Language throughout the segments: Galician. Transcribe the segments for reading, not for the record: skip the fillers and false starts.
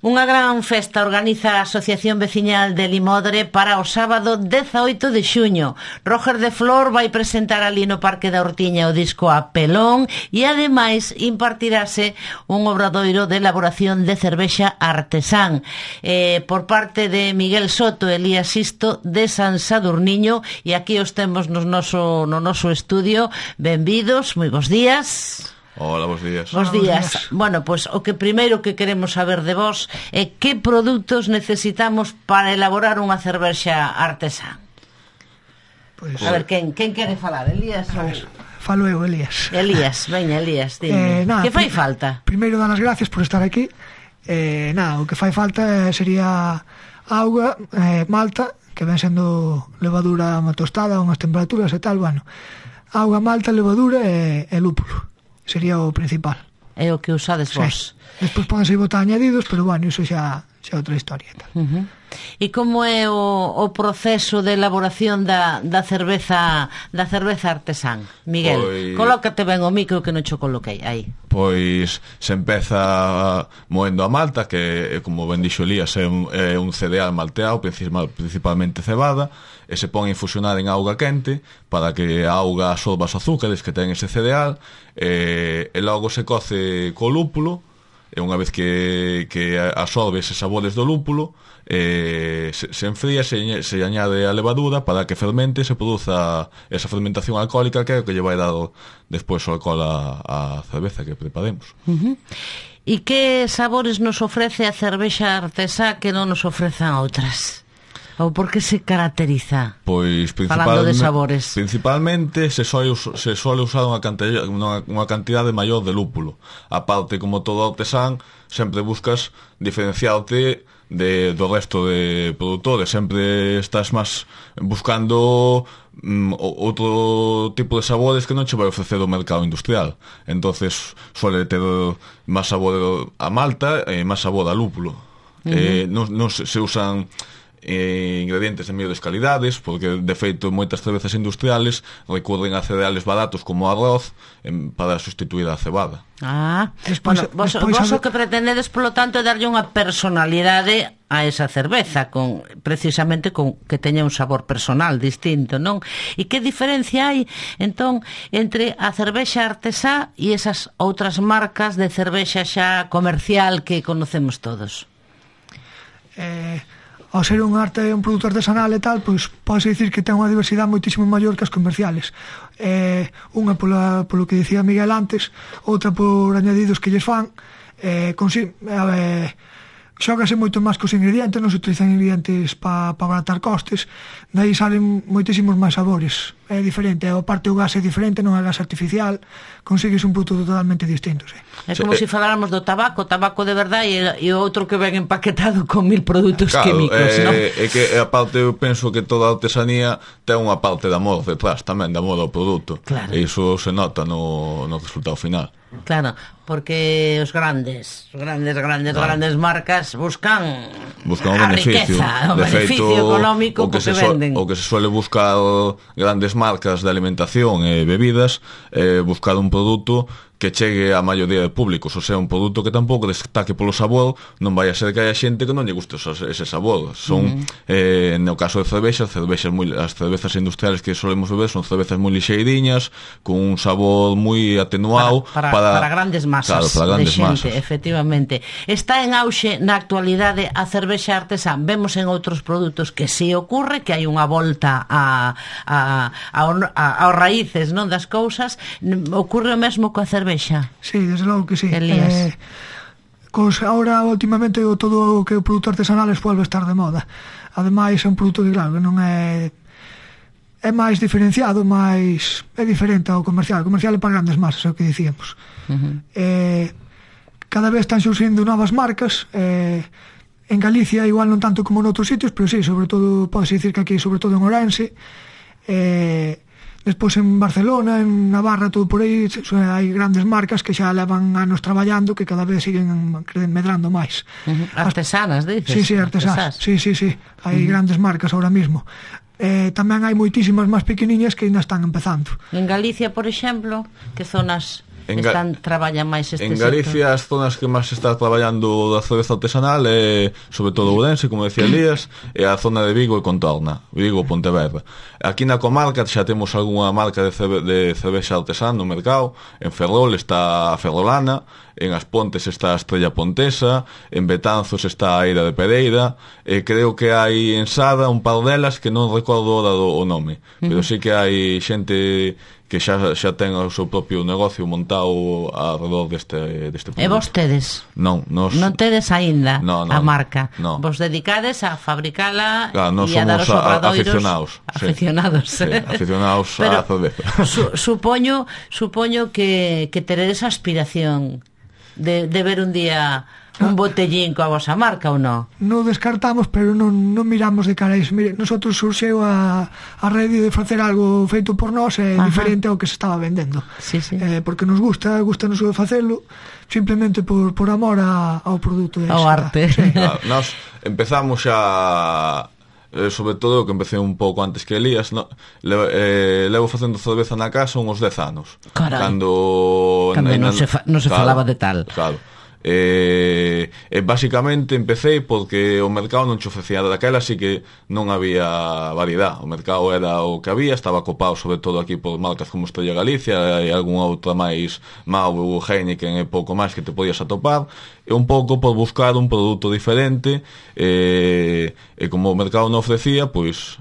Unha gran festa organiza a Asociación Veciñal de Limodre para o sábado 18 de xuño. Roger de Flor vai presentar ali no Parque da Hortiña o disco A Pelón e ademais impartirase un obradoiro de elaboración de cervexa artesán por parte de Miguel Soto e Elías Sisto de San Sadurniño, e aquí os temos no noso estudio. Benvidos, moi bons días. Hola, bons días. Bos días. Bueno, pois o que primeiro que queremos saber de vos é que produtos necesitamos para elaborar unha cervexa artesán. A ver, quen quere falar? Elías ou... Falo eu, Elías. Elías, veña, Elías, dime. Que fai falta? Primeiro, dar as gracias por estar aquí. O que fai falta sería auga, malta, que ven sendo levadura tostada a unhas temperaturas e tal, bueno. Auga, malta, levadura e lúpulo. Sería o principal. É o que usades vos. Despois podense botar añadidos, pero bueno, iso xa é outra historia e tal. E como é o proceso de elaboración da cerveza artesán? Miguel, colócate ben o micro que non cho coloquei aí. Pois se empeza moendo a malta, que como ben dixo Elías é un cereal malteado, principalmente cebada, e se pon a infusionar en auga quente para que a auga absorba os azúcares que ten ese cereal, e logo se coce co lúpulo, e unha vez que absorbe eses sabores do lúpulo, se enfría, se añade a levadura para que fermente e se produza esa fermentación alcohólica, que é o que lle vai dar despois o alcohol a cerveza que preparemos. E que sabores nos ofrece a cervexa artesá que non nos ofrezan outras? Ou por que se caracteriza? Pois falando de sabores. Principalmente se suele usar unha cantidade maior de lúpulo. A parte, como todo artesán, sempre buscas diferenciarte do resto de produtores. Sempre estás máis buscando outro tipo de sabores que non che vai ofrecer o mercado industrial. Entonces suele ter máis sabor a malta e máis sabor a lúpulo. Non se usan ingredientes de mellores calidades, porque de feito moitas cervezas industriales recurren a cereales baratos como arroz para sustituir a cebada. Vos o que pretendedes, polo tanto, é darlle unha personalidade a esa cerveza, precisamente con que teña un sabor personal distinto, non? E que diferencia hai, entón, entre a cervexa artesá e esas outras marcas de cervexa xa comercial que conocemos todos? Ao ser un produto artesanal e tal, pois pode dicir que ten unha diversidade moitísimo maior que as comerciales. Unha polo que dicía Miguel antes, outra por añadidos que lles fan. Xógase moito máis cos ingredientes, non se utilizan ingredientes para abaratar costes, daí salen moitísimos máis sabores. É diferente, a parte o gas é diferente, non é gas artificial, consigues un produto totalmente distinto. É como se faláramos do tabaco de verdade e o outro que ven empaquetado con 1000 produtos químicos, non? É que a parte, eu penso que toda a artesanía ten unha parte de amor detrás tamén, de amor ao produto, e iso se nota no resultado final. Claro, porque os grandes marcas buscan a riqueza, o beneficio económico que venden. O que se suele buscar grandes marcas de alimentación e bebidas, buscar un produto que chegue a maioría de públicos, ou sea, un produto que tampouco destaque polo sabor, non vai a ser que haya xente que non lle guste ese sabor. Son, no caso de cervexas, as cervezas industriales que solemos beber son cervezas moi lixeiriñas, con un sabor moi atenuado para grandes masas, para grandes de xente, masas. efectivamente. Está en auxe na actualidade a cervexa artesán. Vemos en outros produtos que si ocurre que hai unha volta aos raíces, non, das cousas. Ocurre o mesmo coa cervexa. Sí, desde logo que sí. Elías. Ahora, últimamente, todo o que é o produto artesanal vuelve a estar de moda. Ademais, é un produto que, claro, que non é máis diferenciado, é diferente ao comercial. O comercial é para grandes masas, é o que dicíamos. Cada vez están surgindo novas marcas. En Galicia, igual non tanto como en outros sitios, pero sí, sobre todo, pode dicir que aquí, sobre todo en Ourense, despois en Barcelona, en Navarra, todo por aí, hai grandes marcas que xa levan anos traballando, que cada vez siguen medrando máis. Artesanas, dices? Sí, artesás. Sí. Hai grandes marcas ahora mismo. Tamén hai moitísimas máis pequeniñas que ainda están empezando. En Galicia, por exemplo, que zonas traballan máis este en Galicia sector? as zonas que máis se está traballando da cerveza artesanal é sobre todo Ourense, como decía Elías, e a zona de Vigo e contorna, Vigo e Pontevedra. Aquí na comarca xa temos algunha marca de cervexa artesana no mercado. En Ferrol está a Ferrolana, en As Pontes está a Estrella Pontesa, en Betanzos está a Eira de Pereira, e creo que hai en Sada un par delas que non recordo o nome, pero sí que hai xente que xa ten o seu propio negocio montado alrededor deste produto. E vostedes? Non tedes aínda a marca? No. Vos dedicades a fabricala e a dar os obradoiros? Aficionados. Sí, aficionados á cerveza. Supoño que teredes aspiración de ver un día un botellín coa vosa marca ou non? Non descartamos, pero non miramos de cara a iso. Mire, nosotros surxeu a rede de facer algo feito por nós diferente ao que se estaba vendendo. Sí. Porque nos gusta nos facelo simplemente por amor ao produto ao arte. Sí. Nós empezamos xa sobre todo que empecé un pouco antes que Elías, no? Levo facendo cerveza na casa uns 10 anos. Carai. Cando non se falaba de tal. Claro. Basicamente empecé porque o mercado non che ofrecía daquela, así que non había variedade. O mercado era o que había, estaba copado sobre todo aquí por marcas como Estrella Galicia e algunha outra máis Mau, Heineken e pouco máis que te podías atopar, e un pouco por buscar un produto diferente, e como o mercado non ofrecía, pois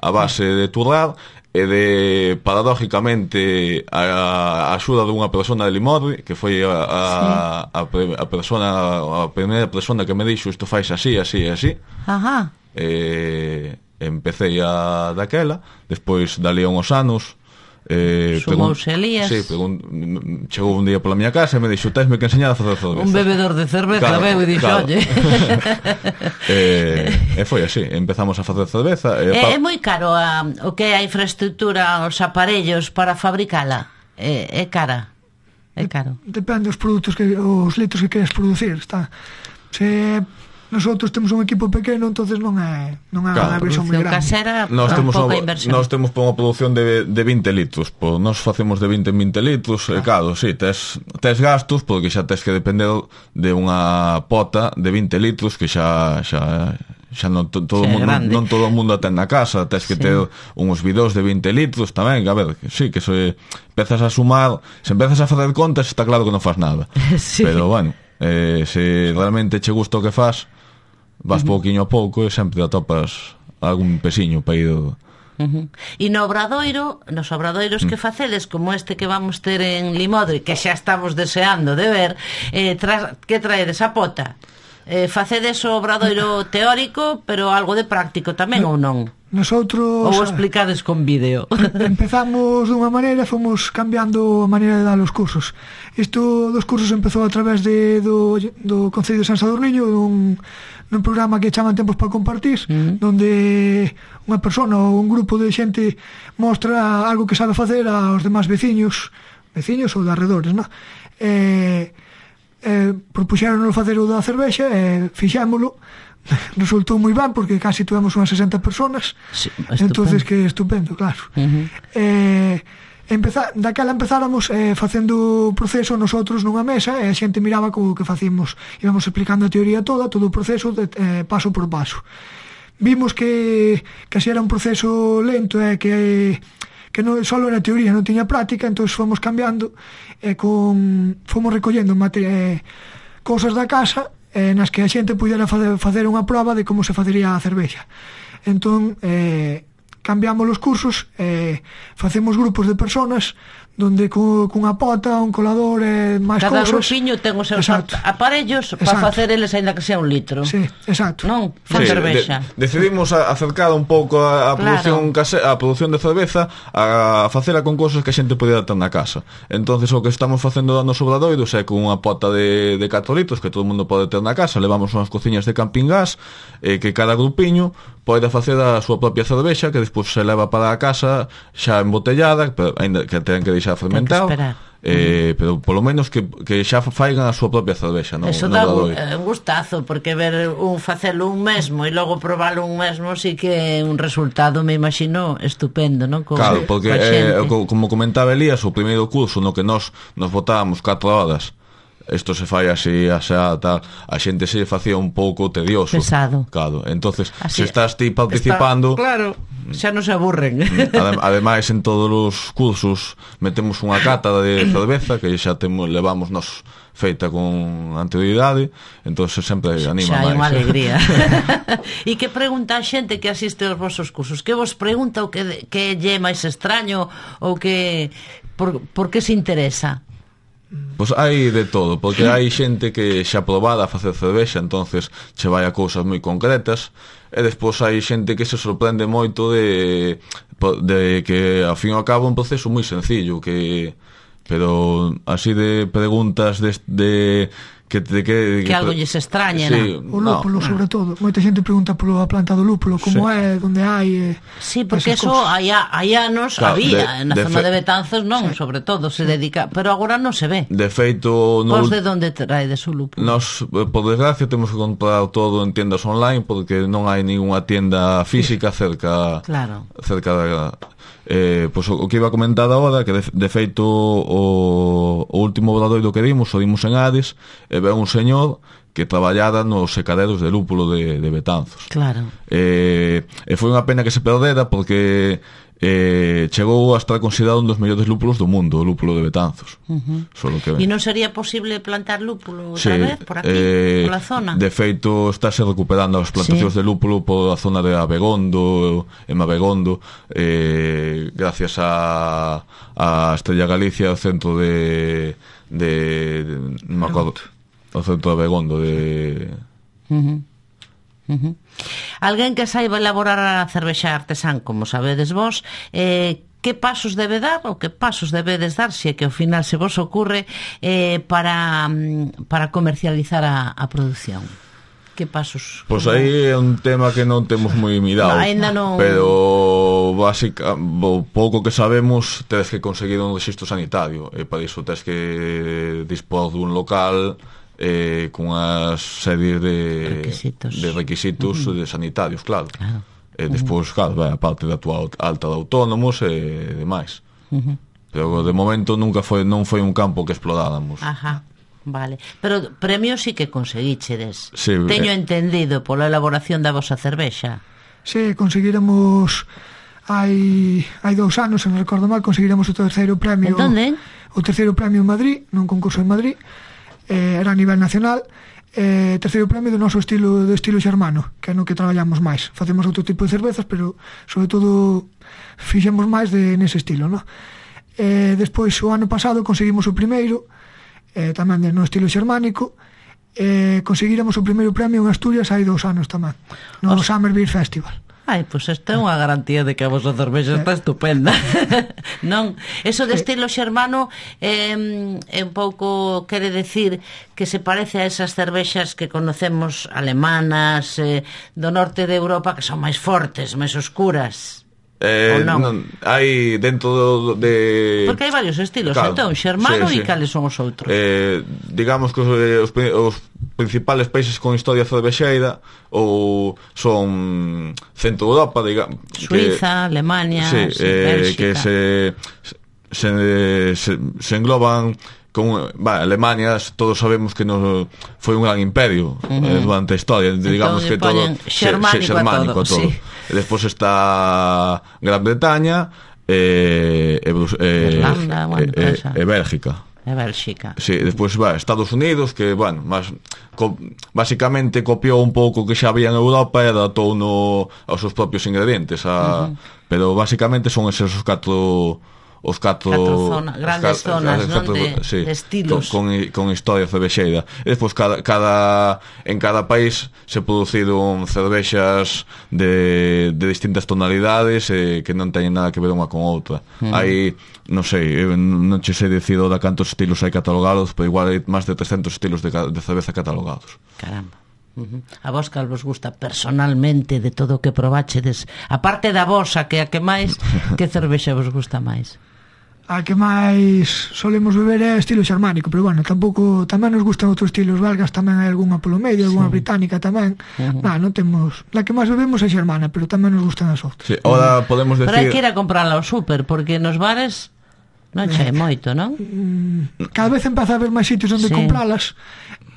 a base de turrar e de, paradójicamente, a axuda dunha persona de Limodre, que foi a primeira persona que me dixo isto fais así. Ajá. Empecé a daquela, despois dali a uns anos sumouse Elías. Sí, chegou un día pola miña casa e me dixo, tesme que enseñar a facer cerveza. Un bebedor de cerveza, claro, e dixo, oye. E foi así, empezamos a facer cerveza. É moi caro o que é a infraestructura, os aparellos para fabricala. É cara. É caro. Depende dos produtos, os litros que queres producir. Se nosotros temos un equipo pequeno, entonces non é unha versión moi grande. Casera, pouca inversión. Nós temos unha produción de 20 litros, nós facemos de 20 en 20 litros, e claro, sí, tes gastos, porque xa tes que depender de unha pota de 20 litros que xa non todo o mundo ten na casa, tes que ter uns bidós de 20 litros tamén, a ver, sí, que se empezas a sumar, se empezas a facer contas, está claro que non faz nada. Sí. Pero bueno, se realmente che gusta o que faz, vas pouquiño a pouco e sempre atopas algún pesiño para ir. E nos obradoiros que facedes, como este que vamos ter en Limodre, que xa estamos deseando de ver, que traedes a pota? Facedes o obradoiro teórico, pero algo de práctico tamén, ou non? Nosotros... Ou explicades con vídeo? Empezamos dunha maneira, fomos cambiando a maneira de dar os cursos. Isto dos cursos empezou a través do Concello de San Sadurniño, nun programa que chaman Tempos para Compartir, donde unha persona ou un grupo de xente mostra algo que sabe facer aos demás veciños ou de arredores, non? Propuxéronos facer o da cervexa e fixémolo. Resultou moi ben porque casi tuvemos unhas 60 personas. Sí, entonces que estupendo, claro. Daquela empezáramos facendo o proceso nosotros nunha mesa e a xente miraba como que facíamos, íbamos explicando a teoría toda, todo o proceso paso por paso. Vimos que así era un proceso lento e que non só era teoría, non tiña práctica, entón fomos cambiando e fomos recollendo cousas da casa nas que a xente pudera facer unha proba de como se facería a cervexa. Entón cambiamos os cursos, facemos grupos de personas donde cunha pota, un colador e máis cada cousas. Grupiño ten os seus aparellos para facer eles aínda que sea un litro. Sí, exacto. Non? Fan cervexa. Decidimos acercar un pouco a produción a produción de cerveza a facela con cousas que a xente podía ter na casa. Entonces o que estamos facendo nos obradoiros é con unha pota de 4 litros que todo o mundo pode ter na casa, levamos unhas cociñas de camping gas que cada grupiño pode facer a súa propia cervexa que despois se leva para a casa xa embotellada, pero ainda que ten que deixar fermentado, pero polo menos que xa faigan a súa propia cervexa, no? Eso dá un gustazo, porque ver un facelo un mesmo e logo probalo un mesmo sí que é un resultado, me imagino, estupendo, non? Claro, porque como comentaba Elías, o primeiro curso no que nos botábamos 4 horas, isto se fai así, tal, a xente se facía un pouco tedioso, pesado. Claro, entonces se estás ti participando, claro, xa non se aburren. Ademais, en todos os cursos metemos unha cata de cerveza que xa levamos nos feita con anterioridade, entonces sempre anima xa máis. Xa é unha alegría. E que pregunta a xente que asiste aos vosos cursos? Que vos pregunta o que lle é máis extraño ou que por que se interesa? Pois hai de todo, porque hai xente que xa probada a facer cervexa, entonces che vai a cousas moi concretas, e despois hai xente que se sorprende moito de que ao fin e ao cabo é un proceso moi sencillo, pero así de preguntas que algo lles extraña, sí, o lúpulo, sobre todo. Moita xente pregunta pola planta do lúpulo, como é, onde hai... Sí, porque eso hai anos había, na zona de Betanzos non, sobre todo, se dedica, pero agora non se ve. De feito... Vos de onde traedes o lúpulo? Nos, por desgracia, temos que comprar todo en tiendas online, porque non hai ninguna tienda física cerca da... Pois o que iba a comentar agora, que de feito o último obradoiro que dimos en Hades, e ve un señor que traballara nos secaderos de lúpulo de Betanzos. Claro. E foi unha pena que se perdera, porque chegou a estar considerado un dos mellores lúpulos do mundo, o lúpulo de Betanzos. E non sería posible plantar lúpulo outra vez por aquí, pola zona? De feito, estáse recuperando as plantacións de lúpulo pola zona de Abegondo e Mabegondo, gracias a Estrella Galicia, o centro de non me acordo, o centro de Abegondo de... Alguén que saiba elaborar a cervexa artesán, como sabedes vos, que pasos debe dar ou que pasos debedes dar, se é que ao final se vos ocurre, para comercializar a produción? Que pasos? Pois aí é un tema que non temos moi mirado, pero o pouco que sabemos, tedes que conseguir un rexistro sanitario, e para iso tedes que dispor dun local cunha serie de requisitos de sanitarios, claro. E despois, claro, a parte da tua alta de autónomos e demais. Pero de momento non foi un campo que exploráramos. Vale, pero premios sí que conseguíchedes. Sí, teño entendido pola elaboración da vosa cervexa. Sí, conseguiremos hai 2 anos, se non recordo mal, conseguiremos o terceiro premio. En donde? O terceiro premio en Madrid, nun concurso en Madrid. Era a nivel nacional, terceiro premio do noso estilo xermano, que é no que traballamos máis. Facemos outro tipo de cervezas, pero sobre todo fixemos máis nese estilo, no? Despois, o ano pasado conseguimos o primeiro, tamén no estilo xermánico, conseguiremos o primeiro premio en Asturias hai 2 anos tamén, no Summer Beer Festival. Pois esta é unha garantía de que a vosa cervexa está estupenda. Non, eso de estilo xermano é un pouco, quere decir que se parece a esas cervexas que conocemos alemanas, do norte de Europa, que son máis fortes, máis oscuras. Non, hai dentro de... Porque hai varios estilos, claro, entón, xermano e cales son os outros? Digamos que os principales países con historia cervexeira ou son centro de Europa, digamos, Suiza, Alemania, Bélxica, que se engloban con Alemania. Todos sabemos que foi un gran imperio durante a historia, digamos que todo xermánico a todo. Sí. Despois está Gran Bretaña Irlanda, Bélgica. Sí, despois Estados Unidos, que, basicamente copiou un pouco que xa había en Europa e adaptou aos seus propios ingredientes, pero basicamente son esos os catro grandes zonas, non? De estilos con historia cervexeira. E despois en cada país se produciron cervexas de distintas tonalidades que non teñen nada que ver unha con outra. Hai, non sei, non che sei dicir ahora cantos estilos hai catalogados, pero igual hai máis de 300 estilos de cerveza catalogados. Caramba. A vos cal vos gusta personalmente de todo o que probachedes, a parte da vosa, que a que máis, que cervexa vos gusta máis? A que máis solemos beber é estilo xermánico, pero bueno, tampouco tamén nos gustan outros estilos belgas, tamén hai algunha polo medio, algunha británica tamén. Non temos, la que máis bebemos é xermana, pero tamén nos gustan as outras. Sí, ahora podemos decir... Pero hai que ir a comprarla ao súper, porque nos bares non che moito, non? Cada vez empeza a haber máis sitios onde compralas,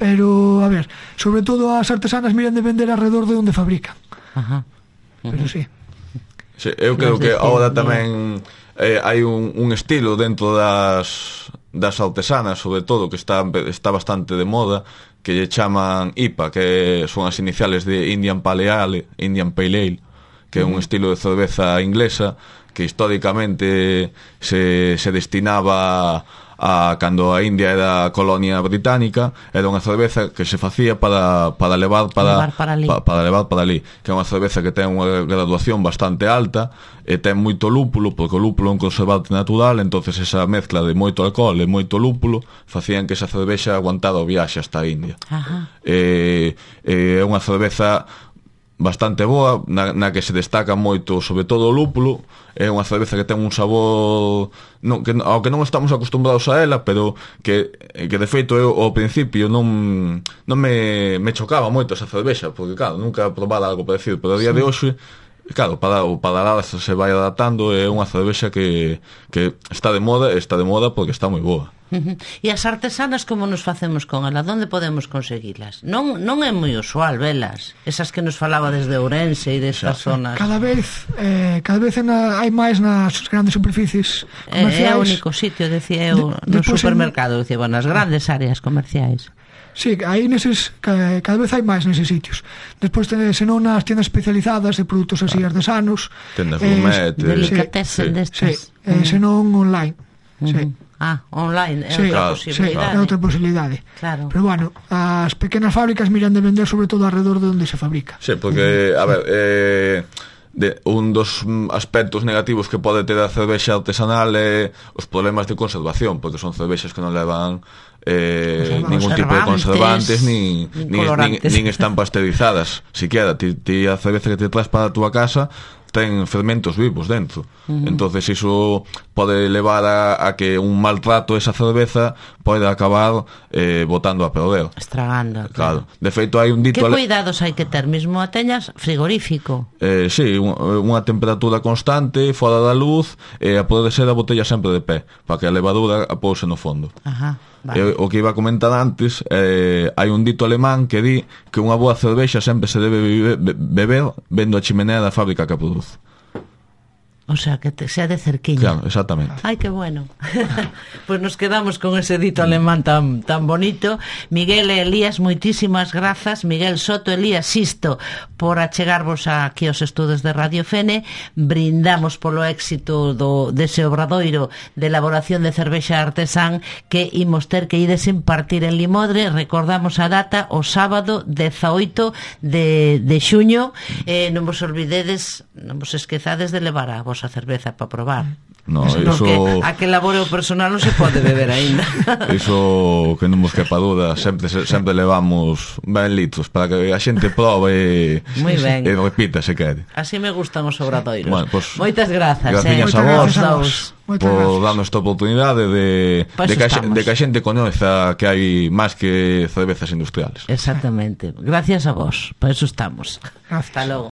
pero, a ver, sobre todo as artesanas miran de vender alrededor de onde fabrican. Pero sí. Sí, eu creo que agora tamén hai un estilo dentro das artesanas, sobre todo, que está bastante de moda, que lle chaman IPA, que son as iniciales de Indian Pale Ale, que é un estilo de cerveza inglesa que históricamente se destinaba a cando a India era colonia británica, era unha cerveza que se facía para levar para ali, que é unha cerveza que ten unha graduación bastante alta e ten moito lúpulo, porque o lúpulo é un conservante natural, entonces esa mezcla de moito alcohol e moito lúpulo facían que esa cervexa aguantara o viaxe hasta a India. É unha cerveza bastante boa, na que se destaca moito sobre todo o lúpulo. É unha cerveza que ten un sabor ao que non estamos acostumbrados a ela, pero que de feito eu ao principio non me chocaba moito esa cervexa, porque claro, nunca probara algo parecido, pero a día de hoxe, claro, o paladar se vai adaptando. É unha cervexa que está de moda porque está moi boa. E as artesanas, como nos facemos con ela? Donde podemos conseguilas? Non é moi usual velas, esas que nos falaba desde Ourense e destas zonas. Cada vez hai máis nas grandes superficies comerciais. É o único sitio, decía eu, no supermercado, decía, nas grandes áreas comerciais. Sí, aí neses, cada vez hai máis neses sitios. Despois, senón nas tiendas especializadas de produtos así artesanos, tendas gourmet, delicatessen destas. Senón online. Sí. Online é outra posibilidade. É outra posibilidade. Claro. Pero bueno, as pequenas fábricas miran de vender sobre todo alrededor de onde se fabrica. Sí, porque, a ver, un dos aspectos negativos que pode ter a cervexa artesanal é os problemas de conservación, porque son cervexas que non levan ningún tipo de conservantes nin están pasteurizadas siquiera. Ti a cerveza que te traes para a túa casa ten fermentos vivos dentro. Entonces iso pode levar a que un maltrato esa cerveza pode acabar botando a perder, estragando. Claro. De feito hai un dito... Que cuidados hai que ter mesmo a teñas frigorífico? Sí, unha temperatura constante, fora da luz, e a poder ser a botella sempre de pé, para que a levadura apouse no fondo. Vale. O que iba a comentar antes, hai un dito alemán que di que unha boa cervexa sempre se debe beber vendo a chimenea da fábrica que a produce. O sea, que sea de cerquiña. Claro, exactamente. Ai, que bueno. Pues nos quedamos con ese dito alemán tan bonito. Miguel e Elías, moitísimas grazas. Miguel Soto, Elías Sisto, por achegarvos aquí aos estudos de Radio Fene. Brindamos polo éxito dese obradoiro de elaboración de cervexa artesán que imos ter que ides impartir en Limodre. Recordamos a data, o sábado 18 de xuño. Non vos olvidedes, non vos esquezades de levar a vosa cerveza para probar. No, eso... a que labore o personal non se pode beber aínda. Iso que non vos quepa duda, sempre levamos ben litros para que a xente probe e repita se quere. Así me gustan os obradoiros. Bueno, pues, moitas grazas. Gracias a vos por darnos esta oportunidade de que a xente coñeza que hai máis que cervezas industriales. Exactamente. Gracias a vos. Por eso estamos. Gracias. Hasta logo.